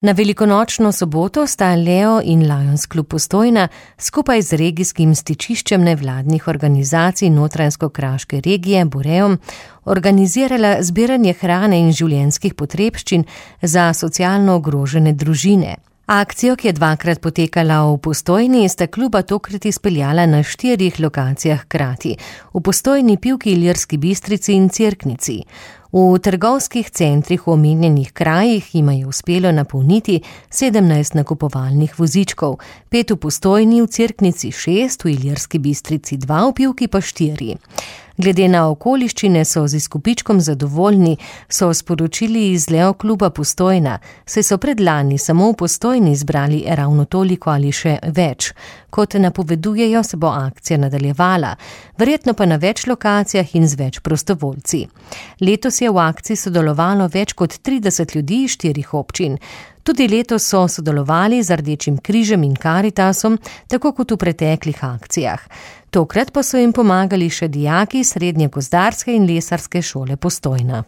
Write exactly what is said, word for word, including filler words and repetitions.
Na velikonočno soboto sta Leo in Lions Klub Postojna skupaj z regijskim stičiščem nevladnih organizacij Notranjsko-kraške regije Boreom organizirala zbiranje hrane in življenjskih potrebščin za socialno ogrožene družine. Akcijo, ki je dvakrat potekala v Postojni, sta kluba tokrat izpeljala na štirih lokacijah hkrati, v Postojni, Pivki, Ilirski Bistrici in Cerknici. V trgovskih centrih v omenjenih krajih jima je uspelo napolniti sedemnajst nakupovalnih vozičkov, pet v Postojni, v Cerknici šest, v Ilirski Bistrici dva, v Pivki pa štiri. Glede na okoliščine so z izkupičkom zadovoljni, so sporočili iz Leo kluba Postojna, saj so predlani samo v Postojni zbrali ravno toliko ali še več. Kot napovedujejo, se bo akcija nadaljevala, verjetno pa na več lokacijah in z več prostovoljci. Letos je v akciji sodelovalo več kot trideset ljudi iz štirih občin. Tudi letos so sodelovali z Rdečim križem in Karitasom, tako kot v preteklih akcijah. Tokrat pa so jim pomagali še dijaki Srednje gozdarske in lesarske šole Postojna.